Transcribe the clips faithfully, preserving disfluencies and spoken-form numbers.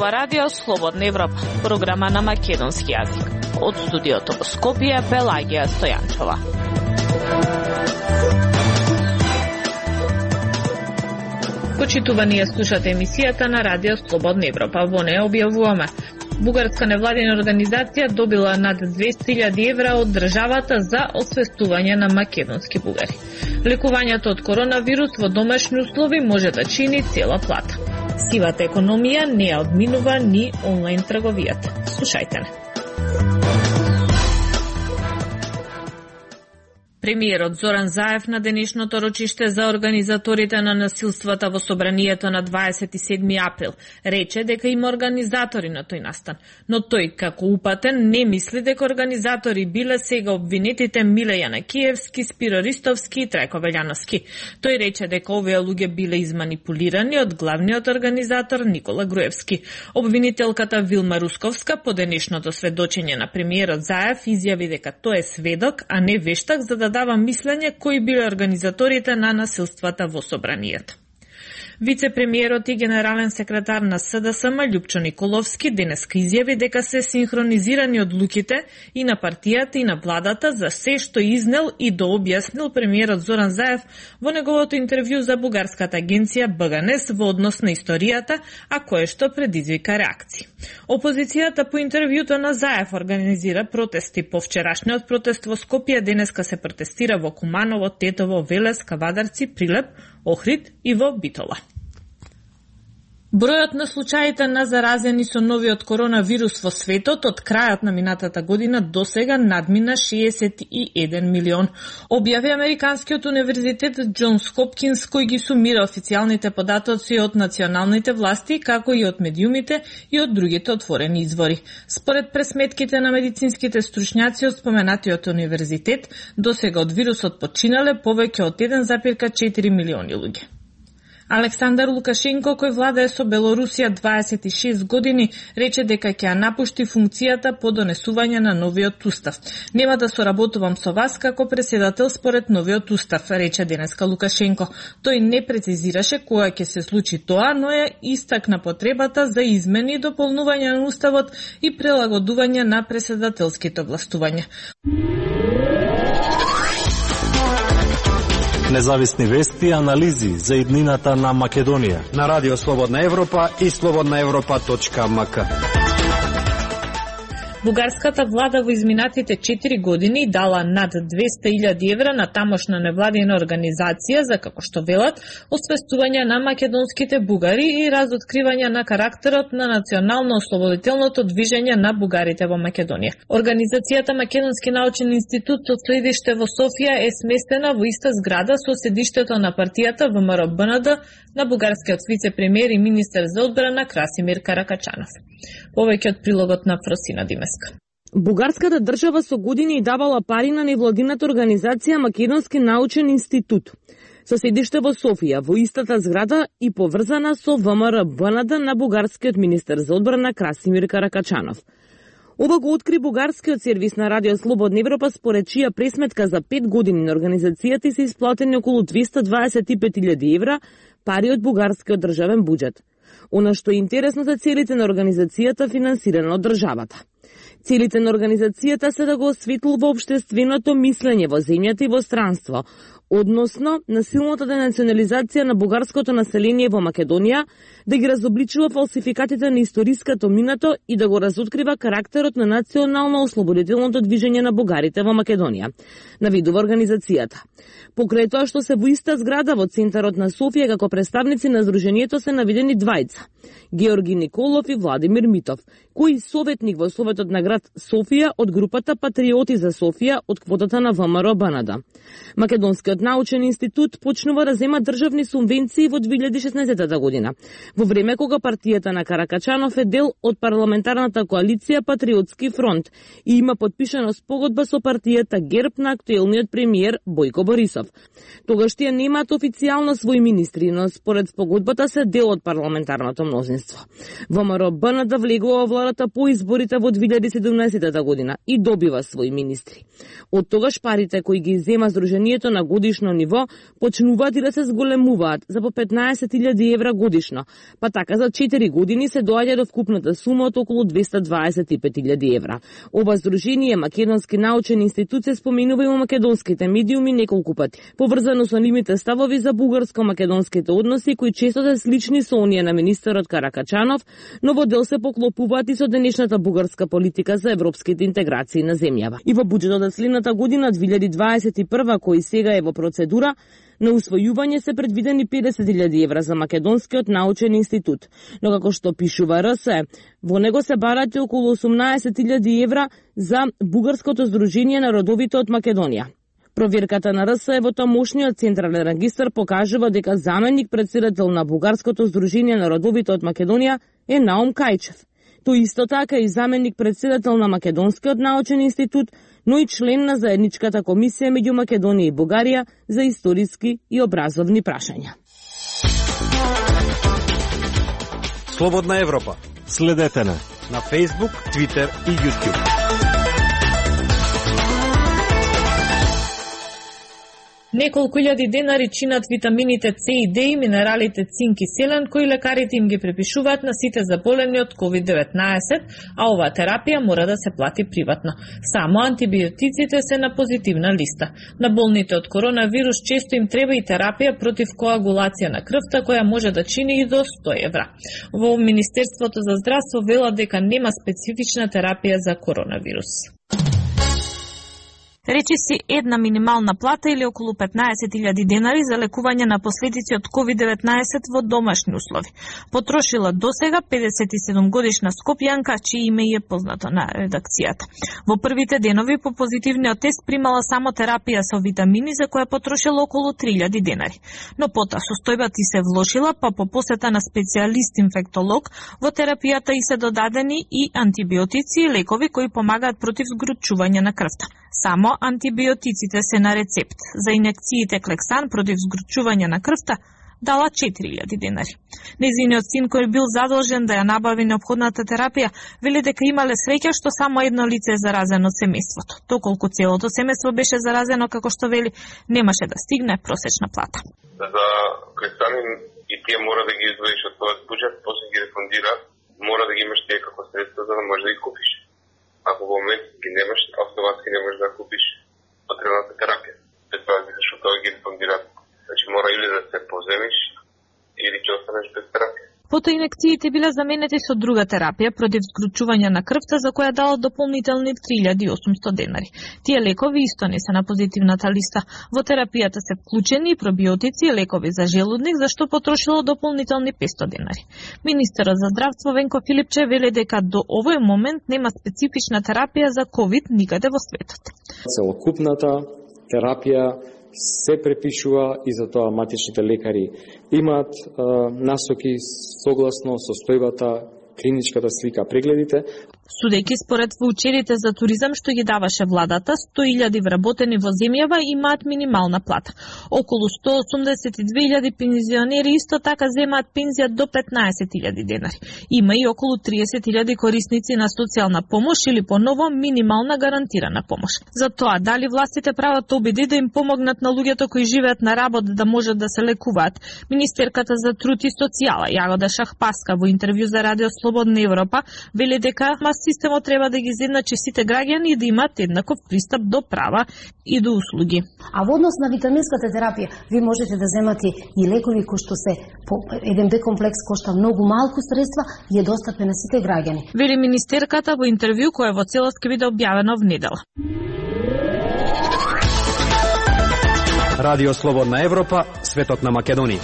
Ова радио Слободна Европа, програма на македонски јазик. Од студиото во Скопје, Пелагија Стојанчова. Почитувани ја слушате емисијата на радио Слободна Европа. Во неја објавуваме: бугарска невладина организација добила над двесте илјади евра од државата за освестување на македонски бугари. Лекувањето од коронавирус во домашни услови може да чини цела плата. Сивата економија не ја одминува ни онлайн трговијата. Слушајте не. Премиерот Зоран Заев на денешното рочиште за организаторите на насилствата во собранието на дваесет и седми април рече дека има организатори на тој настан, но тој како упатен не мисли дека организатори биле сега обвинетите Миле Јанакиевски, Спиро Ристовски и Трајко Велјановски. Тој рече дека овие луѓе биле изманипулирани од главниот организатор Никола Груевски. Обвинителката Вилма Русковска по денешното сведочење на премиерот Заев изјави дека тој е сведок, а не вештак, за да дава мислење кои биле организаторите на насилствата во собранието. Вице-премиерот и генерален секретар на СДСМ Љупчо Николовски денеска изјави дека се синхронизирани одлуките и на партијата и на владата за се што изнел и дообјаснил премиерот Зоран Заев во неговото интервју за бугарската агенција Б Г Н С во однос на историјата, а кое што предизвика реакции. Опозицијата по интервјуто на Заев организира протести. По вчерашниот протест во Скопје денеска се протестира во Куманово, Тетово, Велес, Кавадарци, Прилеп, Охрид и во Битола. Бројот на случаите на заразени со новиот коронавирус во светот од крајот на минатата година до сега надмина шеесет и еден милион. Објави Американскиот универзитет Џонс Хопкинс, кој ги сумира официјалните податоци од националните власти, како и од медиумите и од другите отворени извори. Според пресметките на медицинските стручњаци од споменатиот универзитет, до сега од вирусот починале повеќе од еден запирка четири милиони луѓе. Александар Лукашенко, кој владее со Белорусија дваесет и шест години, рече дека ќе ја напушти функцијата по донесување на новиот устав. Нема да соработувам со вас како преседател според новиот устав, рече денеска Лукашенко. Тој не прецизираше кога ќе се случи тоа, но ја истакна потребата за измени и дополнување на уставот и прилагодување на преседателските властувања. Независни вести и анализи за иднината на Македонија на Радио Слободна Европа и слободна европа точка м к. Бугарската влада во изминатите четири години дала над двесте илјади евра на тамошна невладина организација за, како што велат, освестување на македонските бугари и разоткривање на карактерот на национално-ослободителното движење на бугарите во Македонија. Организацијата Македонски научен институт со седиште во Софија е сместена во иста зграда со седиштето на партијата В М Р Б Н Д на бугарскиот вице-премиер и министер за одбрана Красимир Каракачанов. Повеќе од прилогот на Фросина Димеска. Бугарската држава со години давала пари на невладината организација Македонски научен институт со седиште во Софија, во истата зграда и поврзана со В М Р Б Н Д на бугарскиот министер за одбрана Красимир Каракачанов. Ова го откри бугарскиот сервис на Радио Слободна Европа, според чија пресметка за пет години на организацијата се исплатени околу двесте дваесет и пет илјади евра пари од бугарскиот државен буџет. Она што е интересно за целите на организацијата финансирана од државата. Целите на организацијата се да го осветлува општественото мислење во земјата и во странство, односно на силната денационализација на бугарското население во Македонија, да ги разобличува фалсификатите на историското минато и да го разоткрива карактерот на национално-ослободителното движење на бугарите во Македонија, навидува организацијата. Покрај тоа што се во иста зграда во центарот на Софија како представници на здруженијето се наведени двајца, Георги Николов и Владимир Митов, кој советник во Советот на град Софија од групата Патриоти за Софија од квотата на В М Р Б Н Д. Македонскиот научен институт почнува да зема државни субвенции во две илјади и шеснаесетта година, во време кога партијата на Каракачанов е дел од парламентарната коалиција Патриотски фронт и има подпишана спогодба со партијата ГЕРБ на актуелниот премиер Бојко Борисов. Тогаш тие немаат официјално своји министри, но според спогодбата се дел од парламентарното мнозинство. В М Р Б Н Д влегува во владата по изборите во две илјади и седумнаесетта година и добива своји министри. Од тогаш парите кои ги зема Сдруженијето на годишни годишно ниво почнуваат и да се зголемуваат за по петнаесет илјади евра годишно, па така за четири години се доаѓа до вкупната сума од околу двесте дваесет и пет илјади евра. Ова здружение Македонски научен институт се споменува и во македонските медиуми неколку пати, поврзано со нивните ставови за бугарско-македонските односи кои често се слични со оние на министерот Каракачанов, но во дел се поклопуваат и со денешната бугарска политика за европските интеграции на земјава. И во буџетот за следната година две илјади дваесет и прва, кој сега е во процедура, на усвојување се предвидени педесет илјади евра за Македонскиот научен институт, но како што пишува РС, во него се барат околу осумнаесет илјади евра за Бугарското здружение на родовите од Македонија. Проверката на РС во тамошниот централен регистар покажува дека заменик председател на Бугарското здружение на родовите од Македонија е Наум Кајчев. Тој исто така и заменик председател на Македонскиот научен институт, но и член на заедничката комисија меѓу Македонија и Бугарија за историски и образовни прашања. Слободна Европа. Следете на на Facebook, Twitter и YouTube. Неколку илјади денари чинат витамините С и Д и минералите цинк и селен, кои лекарите им ги препишуваат на сите заболени од ковид деветнаесет, а оваа терапија мора да се плати приватно. Само антибиотиците се на позитивна листа. На болните од коронавирус често им треба и терапија против коагулација на крвта, која може да чини и до сто евра. Во Министерството за здравство велат дека нема специфична терапија за коронавирус. Речи си една минимална плата или околу петнаесет илјади денари за лекување на последици од ковид деветнаесет во домашни услови. Потрошила досега педесет и седум годишна скопјанка, чие име е познато на редакцијата. Во првите денови по позитивниот тест примала само терапија со витамини за која потрошила околу три илјади денари. Но потоа состојбата и се влошила, па по посета на специјалист-инфектолог во терапијата и се додадени и антибиотици и лекови кои помагаат против згручување на крвта. Само антибиотиците се на рецепт. За инекциите Клексан против згручување на крвта дала четири илјади денари. Нејзиниот син, кој бил задолжен да ја набави неопходната терапија, вели дека имале среќа што само едно лице е заразено од семејството. Доколку целото семејство беше заразено, како што вели, немаше да стигне просечна плата. За Клексан и тие мора да ги издвоиш од твојот буџет, после ги рефундира, мора да ги имаш тие како средства за да можеш да ги купиш. Ако во момент ги немаш, автоматски не можеш да купиш потребната терапија. Пред тоа што тоа ги рефундираат. Значи мора или да се поземиш, или ќе останеш без терапија. Потоа инекциите биле заменети со друга терапија против згручување на крвта, за која дала дополнителни три илјади и осумсто денари. Тие лекови исто не се на позитивната листа. Во терапијата се вклучени и пробиотици и лекови за желудник, за што потрошило дополнителни петсто денари. Министерот за здравство Венко Филипче вели дека до овој момент нема специфична терапија за ковид никаде во светот. Целокупната терапија се препишува и за тоа матичните лекари имаат е, насоки согласно состојбата, клиничката слика, прегледите. Судејќи според воучерите за туризам што ги даваше владата, сто илјади вработени во земјава имаат минимална плата. Околу сто осумдесет и две илјади пензионери исто така земаат пензија до петнаесет илјади денари. Има и околу триесет илјади корисници на социјална помош или поново минимална гарантирана помош. За тоа, дали властите прават обиди да им помогнат на луѓето кои живеат на работа да можат да се лекуваат, министерката за труд и социјала Јагода Шахпаска во интервју за Радио Слободна Европа вели дека системот треба да ги изедначи сите граѓани и да имаат еднаков пристап до права и до услуги. А во однос на витаминската терапија, ви можете да земате и лекови кои што се по еден Б комплекс кошта многу малку средства и е достапен на сите граѓани. Вели министерката во интервју кое во целост ќе биде објавено во недела. Радио Слободна Европа, светот на Македонија.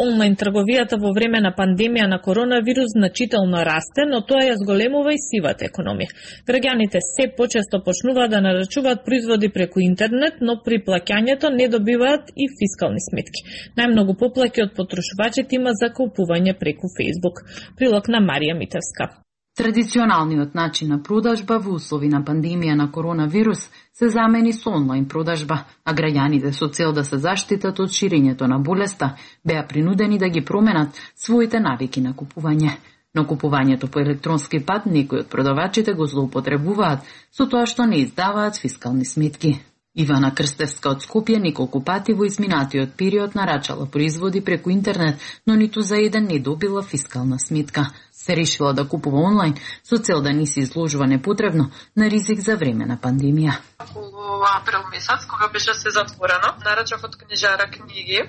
Онлайн трговијата во време на пандемија на коронавирус значително расте, но тоа ја зголемува и сивата економија. Граѓаните се почесто почнуваат да нарачуваат производи преку интернет, но при плаќањето не добиваат и фискални сметки. Најмногу поплаќи од потрошувачите има за купување преку Facebook. Прилог на Марија Митевска. Традиционалниот начин на продажба во услови на пандемија на коронавирус се замени со онлайн продажба, а граѓаните со цел да се заштитат од ширењето на болеста беа принудени да ги променат своите навики на купување. Но купувањето по електронски пат некои од продавачите го злоупотребуваат со тоа што не издаваат фискални сметки. Ивана Крстевска од Скопје неколку пати во изминатиот период нарачала производи преку интернет, но ниту за еден не добила фискална сметка. Се решила да купува онлайн со цел да не се изложува непотребно на ризик за време на пандемија. Во април месец, кога беше се затворено, нарачав од книжара книги.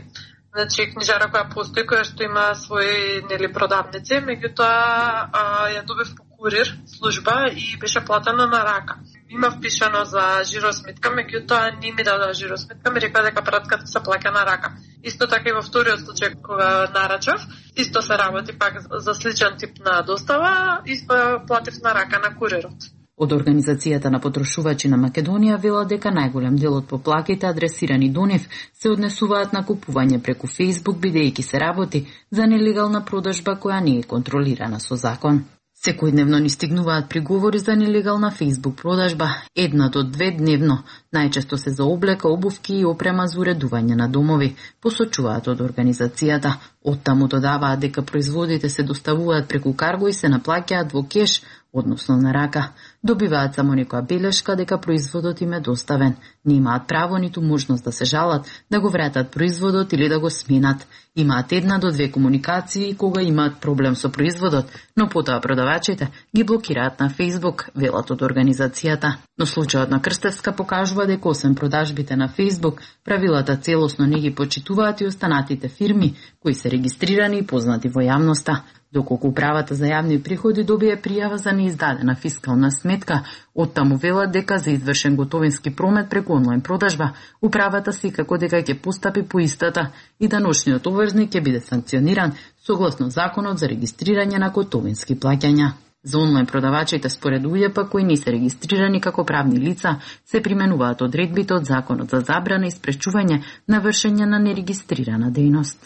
Значи, книжара која постои, која што има своји нели продавници, меѓутоа ја добив по курир служба и беше платено на рака. Има впишано за жиросметка, меѓутоа не ми дадоа жиросметка, ми рекла дека пратката се плаќа на рака. Исто така и во вториот случај кога нарачав, исто се работи пак за сличен тип на достава, исто платив на рака на курирот. Од Организацијата на потрошувачи на Македонија вела дека најголем дел од поплаките адресирани до нив се однесуваат на купување преку Facebook, бидејќи се работи за нелегална продажба која не е контролирана со закон. Секојдневно ни стигнуваат приговори за нелегална Facebook продажба, една до две дневно. Најчесто се за облека, обувки и опрема за уредување на домови, посочуваат од организацијата. Оттаму додаваат дека производите се доставуваат преку карго и се наплаќаат во кеш, односно на рака. Добиваат само некоја белешка дека производот им е доставен. Не имаат право ниту можност да се жалат, да го вратат производот или да го сменат. Имаат една до две комуникации кога имаат проблем со производот, но потоа продавачите ги блокираат на Facebook, велат од организацијата. Но случајот на Крстевска покажува дека освен продажбите на Facebook, правилата целосно не ги почитуваат и останатите фирми кои се регистрирани и познати во јавноста. Доколку управата за јавни приходи добие пријава за неиздадена фискална сметка, оттаму велат дека за извршен готовински промет преку онлайн продажба, управата секако дека ќе постапи по истата и даночниот обврзник ќе биде санкциониран согласно законот за регистрирање на готовински плаќања. За онлайн продавачите според УЈП кои не се регистрирани како правни лица, се применуваат одредбите од законот за забрана и спречување на вршење на нерегистрирана дејност.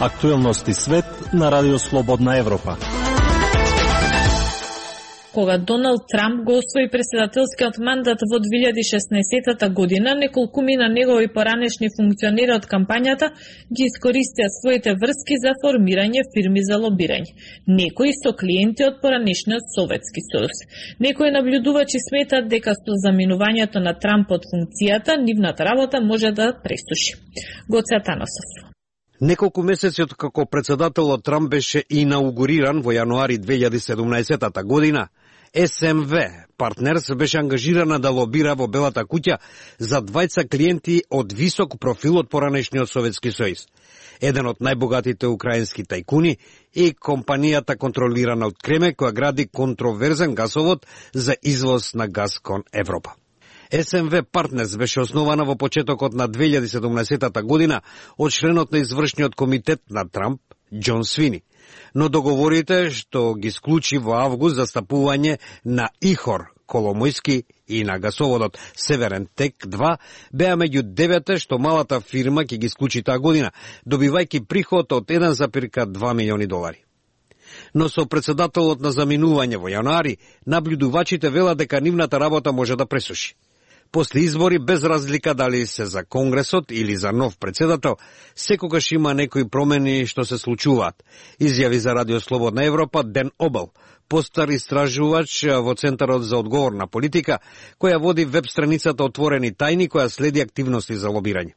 Актуелности свет на Радио Слободна Европа. Кога Доналд Трамп го освои председателскиот мандат во две илјади и шеснаесетта година, неколкумина негови поранешни функционери од кампањата ги искористија своите врски за формирање фирми за лобирање. Некои со клиенти од поранешниот Советски сојуз. Некои наблюдувачи сметат дека со заминувањето на Трамп од функцијата, нивната работа може да пресуши. Гоце Атанасов. Неколку месеци од како председателот Трамп беше инаугуриран во јануари две илјади и седумнаесетта година, Ес Ем Ви Партнерс беше ангажирана да лобира во Белата куќа за двајца клиенти од висок профил од поранешниот Советски сојуз. Еден од најбогатите украински тајкуни и компанијата контролирана од Кремљ која гради контроверзен гасовод за извоз на газ кон Европа. Ес Ем Ви Партнерс беше основана во почетокот на две илјади и седумнаесетта година од членот на извршниот комитет на Трамп, Џон Свини. Но договорите што ги склучи во август за стапување на Ихор Коломојски и на гасоводот Северен Тек два беа меѓу девете што малата фирма ќе ги склучи таа година, добивајќи приход од еден зарез два милиони долари. Но со председателот на заминување во јануари, наблюдувачите велат дека нивната работа може да пресуши. После избори, без разлика дали се за Конгресот или за нов председател, секогаш има некои промени што се случуваат, изјави за Радио Слободна Европа Ден Обел, постар истражувач во Центарот за одговорна политика, која води веб страницата Отворени тајни, која следи активности за лобирање.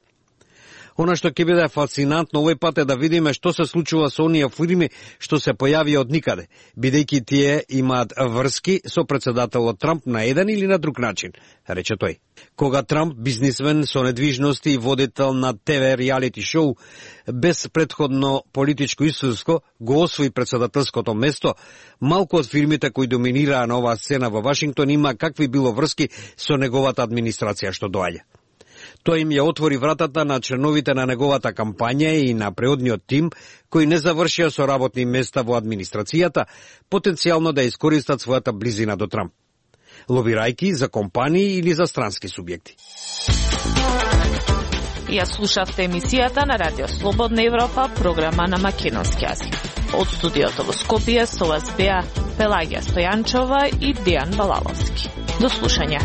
Она што ќе биде фасцинантно овој пат е да видиме што се случува со оние фирми што се појави од никаде, бидејќи тие имаат врски со председателот Трамп на еден или на друг начин, рече тој. Кога Трамп, бизнисмен со недвижности и водител на Те Ви реалити шоу, без предходно политичко искуство, го освои председателското место, малку од фирмите кои доминираа на оваа сцена во Вашингтон има какви било врски со неговата администрација што доаѓа. Тој им ја отвори вратата на членовите на неговата кампања и на преодниот тим, кои не завршија со работни места во администрацијата, потенцијално да искористат својата близина до Трамп, лобирајки за компании или за странски субјекти. Ја слушавте емисијата на Радио Слободна Европа, програма на македонски јазик. Од студиото во Скопје со вас беа Пелагија Стојанчова и Дејан Балаловски. До слушање.